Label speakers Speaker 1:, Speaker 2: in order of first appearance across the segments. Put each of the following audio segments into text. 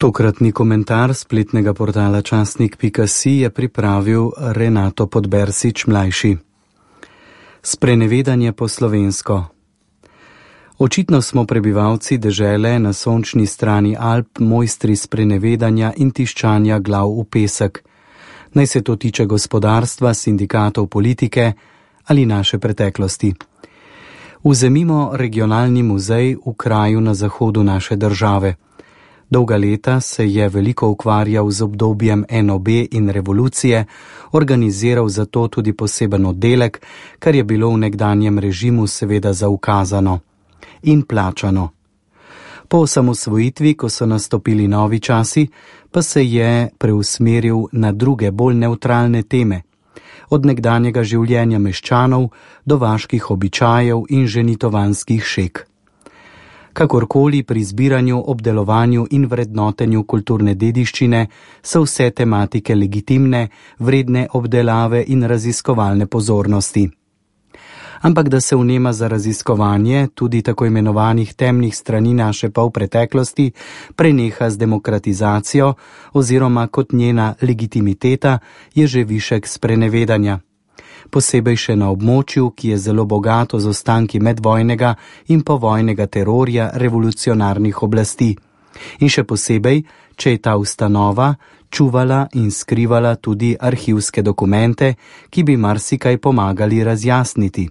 Speaker 1: Tokratni komentar spletnega portala časnik.si je pripravil Renato Podbersič mlajši. Sprenevedanje po slovensko. Očitno smo prebivalci dežele na sončni strani Alp mojstri sprenevedanja in tiščanja glav v pesek. Naj se to tiče gospodarstva, sindikatov, politike ali naše preteklosti. Vzemimo regionalni muzej v kraju na zahodu naše države. Dolga leta se je veliko ukvarjal z obdobjem NOB in revolucije, organiziral zato tudi poseben oddelek, kar je bilo v nekdanjem režimu seveda zaukazano in plačano. Po osamosvojitvi, ko so nastopili novi časi, pa se je preusmeril na druge, bolj nevtralne teme, od nekdanjega življenja meščanov do vaških običajev in ženitovanskih šeg. Kakorkoli pri zbiranju, obdelovanju in vrednotenju kulturne dediščine so vse tematike legitimne, vredne obdelave in raziskovalne pozornosti. Ampak da se vnema za raziskovanje tudi tako imenovanih temnih strani naše polpreteklosti preneha z demokratizacijo oziroma kot njena legitimiteta je že višek sprenevedanja. Posebej še na območju, ki je zelo bogato z ostanki medvojnega in povojnega terorja revolucionarnih oblasti. In še posebej, če je ta ustanova čuvala in skrivala tudi arhivske dokumente, ki bi marsikaj pomagali razjasniti.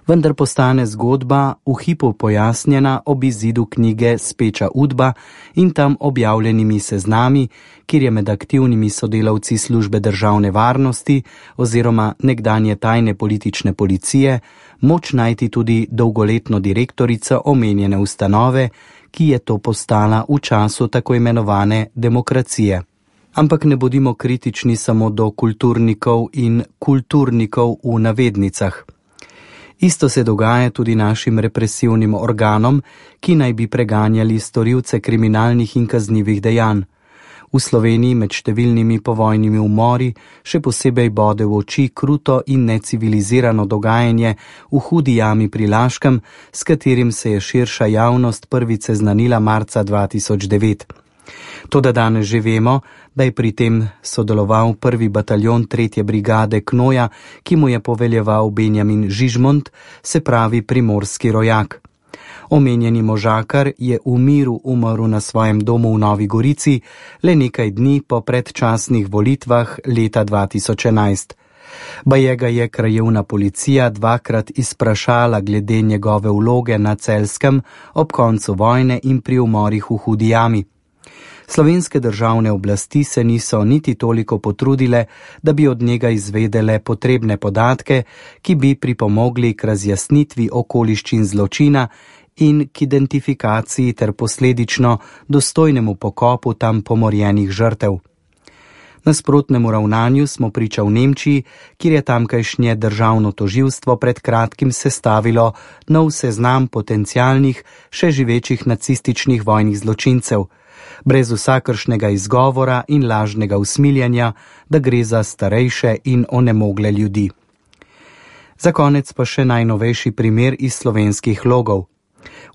Speaker 1: Vendar postane zgodba v hipu pojasnjena ob izidu knjige Speča Udba in tam objavljenimi seznami, kjer je med aktivnimi sodelavci službe državne varnosti oziroma nekdanje tajne politične policije moč najti tudi dolgoletno direktorico omenjene ustanove, ki je to postala v času tako imenovane demokracije. Ampak ne bodimo kritični samo do kulturnikov in kulturnikov v navednicah. Isto se dogaja tudi našim represivnim organom, ki naj bi preganjali storilce kriminalnih in kaznivih dejanj. V Sloveniji med številnimi povojnimi umori še posebej bode v oči kruto in necivilizirano dogajanje v Hudi jami pri Laškem, s katerim se je širša javnost prvič seznanila marca 2009. Toda danes že vemo, da je pri tem sodeloval prvi bataljon 3. brigade Knoja, ki mu je poveljeval Benjamin Žižmont, se pravi primorski rojak. Omenjeni možakar je v miru umrl na svojem domu v Novi Gorici le nekaj dni po predčasnih volitvah leta 2011. Baje ga je krajevna policija dvakrat izprašala glede njegove vloge na Celjskem ob koncu vojne in pri umorih v Hudi jami. Slovenske državne oblasti se niso niti toliko potrudile, da bi od njega izvedele potrebne podatke, ki bi pripomogli k razjasnitvi okoliščin zločina in k identifikaciji ter posledično dostojnemu pokopu tam pomorjenih žrtev. Nasprotnemu ravnanju smo priča v Nemčiji, kjer je tamkajšnje državno tožilstvo pred kratkim sestavilo nov seznam potencialnih, še živečih nacističnih vojnih zločincev, brez vsakršnega izgovora in lažnega usmiljanja, da gre za starejše in onemogle ljudi. Za konec pa še najnovejši primer iz slovenskih logov.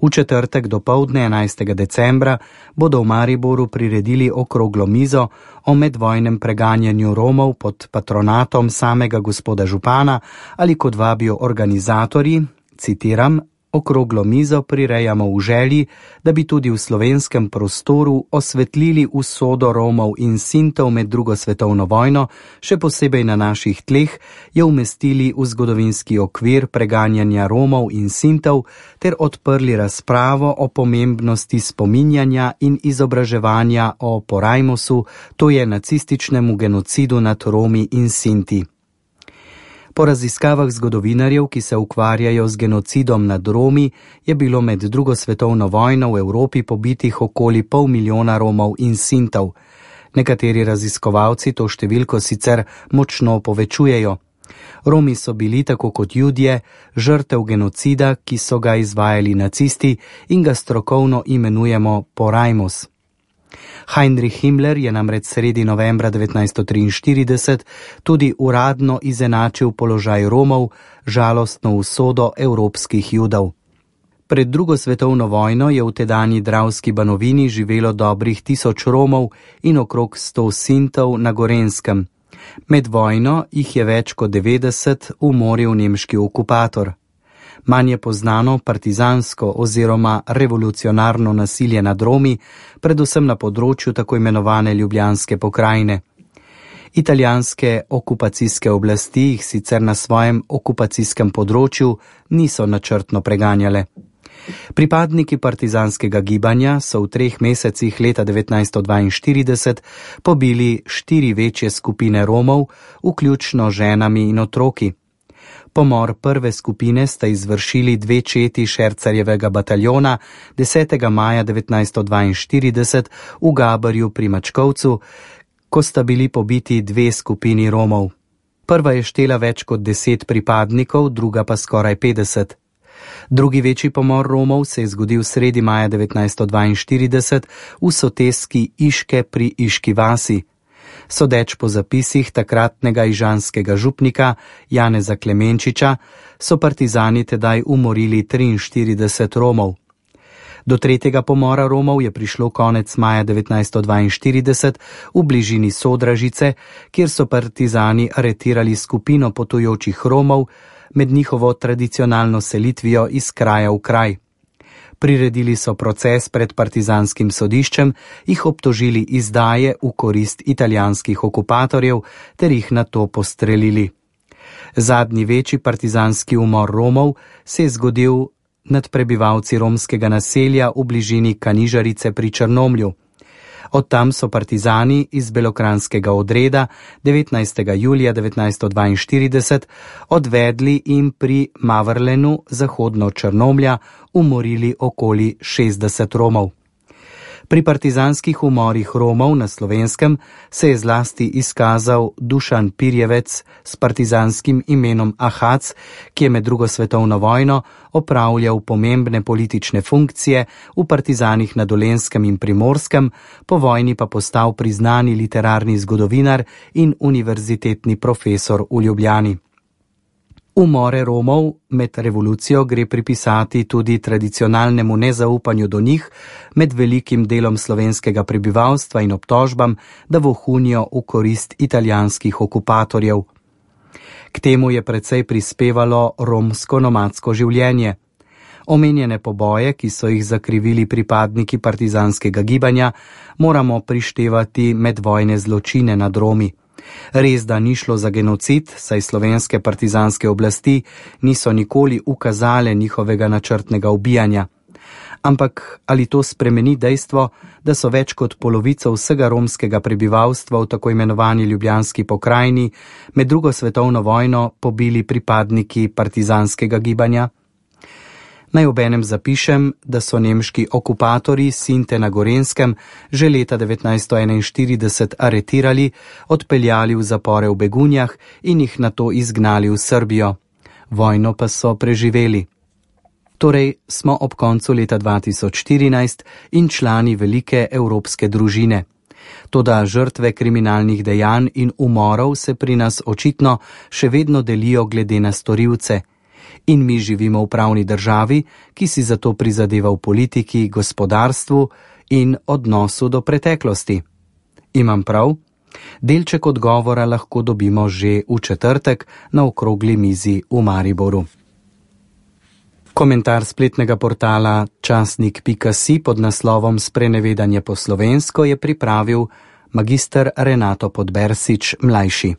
Speaker 1: V četrtek dopoldne 11. decembra bodo v Mariboru priredili okroglo mizo o medvojnem preganjanju Romov pod patronatom samega gospoda župana ali kot vabijo organizatorji, citiram, okroglo mizo prirejamo v želji, da bi tudi v slovenskem prostoru osvetlili usodo Romov in Sintov med drugo svetovno vojno, še posebej na naših tleh, jo umestili v zgodovinski okvir preganjanja Romov in Sintov ter odprli razpravo o pomembnosti spominjanja in izobraževanja o Porajmosu, to je nacističnemu genocidu nad Romi in Sinti. Po raziskavah zgodovinarjev, ki se ukvarjajo z genocidom nad Romi, je bilo med drugo svetovno vojno v Evropi pobitih okoli 500 000 Romov in Sintov. Nekateri raziskovalci to številko sicer močno povečujejo. Romi so bili, tako kot Judje, žrtev genocida, ki so ga izvajali nacisti in ga strokovno imenujemo Porajmos. Heinrich Himmler je namreč sredi novembra 1943 tudi uradno izenačil položaj Romov, žalostno usodo evropskih Judov. Pred drugo svetovno vojno je v tedanji Dravski Banovini živelo dobrih 1000 Romov in okrog 100 Sintov na Gorenjskem. Med vojno jih je več kot 90 umoril nemški okupator. Manj je poznano partizansko oziroma revolucionarno nasilje nad Romi, predvsem na področju tako imenovane Ljubljanske pokrajine. Italijanske okupacijske oblasti jih sicer na svojem okupacijskem področju niso načrtno preganjale. Pripadniki partizanskega gibanja so v 3 mesecih leta 1942 pobili 4 večje skupine Romov, vključno ženami in otroki. Pomor prve skupine sta izvršili 2 četi Šercarjevega bataljona 10. maja 1942 v Gabarju pri Mačkovcu, ko sta bili pobiti 2 skupini Romov. Prva je štela več kot 10 pripadnikov, druga pa skoraj 50. Drugi večji pomor Romov se je zgodil sredi maja 1942 v soteski Iške pri Iški vasi. Sodeč po zapisih takratnega ižanskega župnika Janeza Klemenčiča so partizani tedaj umorili 43 Romov. Do tretjega pomora Romov je prišlo konec maja 1942 v bližini Sodražice, kjer so partizani aretirali skupino potujočih Romov med njihovo tradicionalno selitvijo iz kraja v kraj. Priredili so proces pred partizanskim sodiščem, jih obtožili izdaje v korist italijanskih okupatorjev ter jih nato postrelili. Zadnji večji partizanski umor Romov se je zgodil nad prebivalci romskega naselja v bližini Kanižarice pri Črnomlju. Od tam so partizani iz belokranjskega odreda 19. julija 1942 odvedli in pri Mavrlenu zahodno Črnomlja umorili okoli 60 Romov. Pri partizanskih umorih Romov na Slovenskem se je zlasti izkazal Dušan Pirjevec s partizanskim imenom Ahac, ki je med drugo svetovno vojno opravljal pomembne politične funkcije v partizanih na Dolenjskem in Primorskem, po vojni pa postal priznani literarni zgodovinar in univerzitetni profesor v Ljubljani. Umore Romov med revolucijo gre pripisati tudi tradicionalnemu nezaupanju do njih med velikim delom slovenskega prebivalstva in obtožbam, da vohunijo v korist italijanskih okupatorjev. K temu je precej prispevalo romsko nomadsko življenje. Omenjene poboje, ki so jih zakrivili pripadniki partizanskega gibanja, moramo prištevati medvojne zločine nad Romi. Res, da ni šlo za genocid, saj slovenske partizanske oblasti niso nikoli ukazale njihovega načrtnega ubijanja. Ampak ali to spremeni dejstvo, da so več kot polovico vsega romskega prebivalstva v tako imenovani Ljubljanski pokrajini med drugo svetovno vojno pobili pripadniki partizanskega gibanja? Naj obenem zapišem, da so nemški okupatorji Sinte na Gorenjskem že leta 1941 aretirali, odpeljali v zapore v Begunjah in jih nato izgnali v Srbijo. Vojno pa so preživeli. Torej smo ob koncu leta 2014 in člani velike evropske družine. Toda žrtve kriminalnih dejanj in umorov se pri nas očitno še vedno delijo glede na storilce. In mi živimo v pravni državi, ki si zato prizadeva v politiki, gospodarstvu in odnosu do preteklosti. Imam prav? Delček odgovora lahko dobimo že v četrtek na okrogli mizi v Mariboru. Komentar spletnega portala časnik.si pod naslovom Sprenevedanje po slovensko je pripravil magister Renato Podbersič mlajši.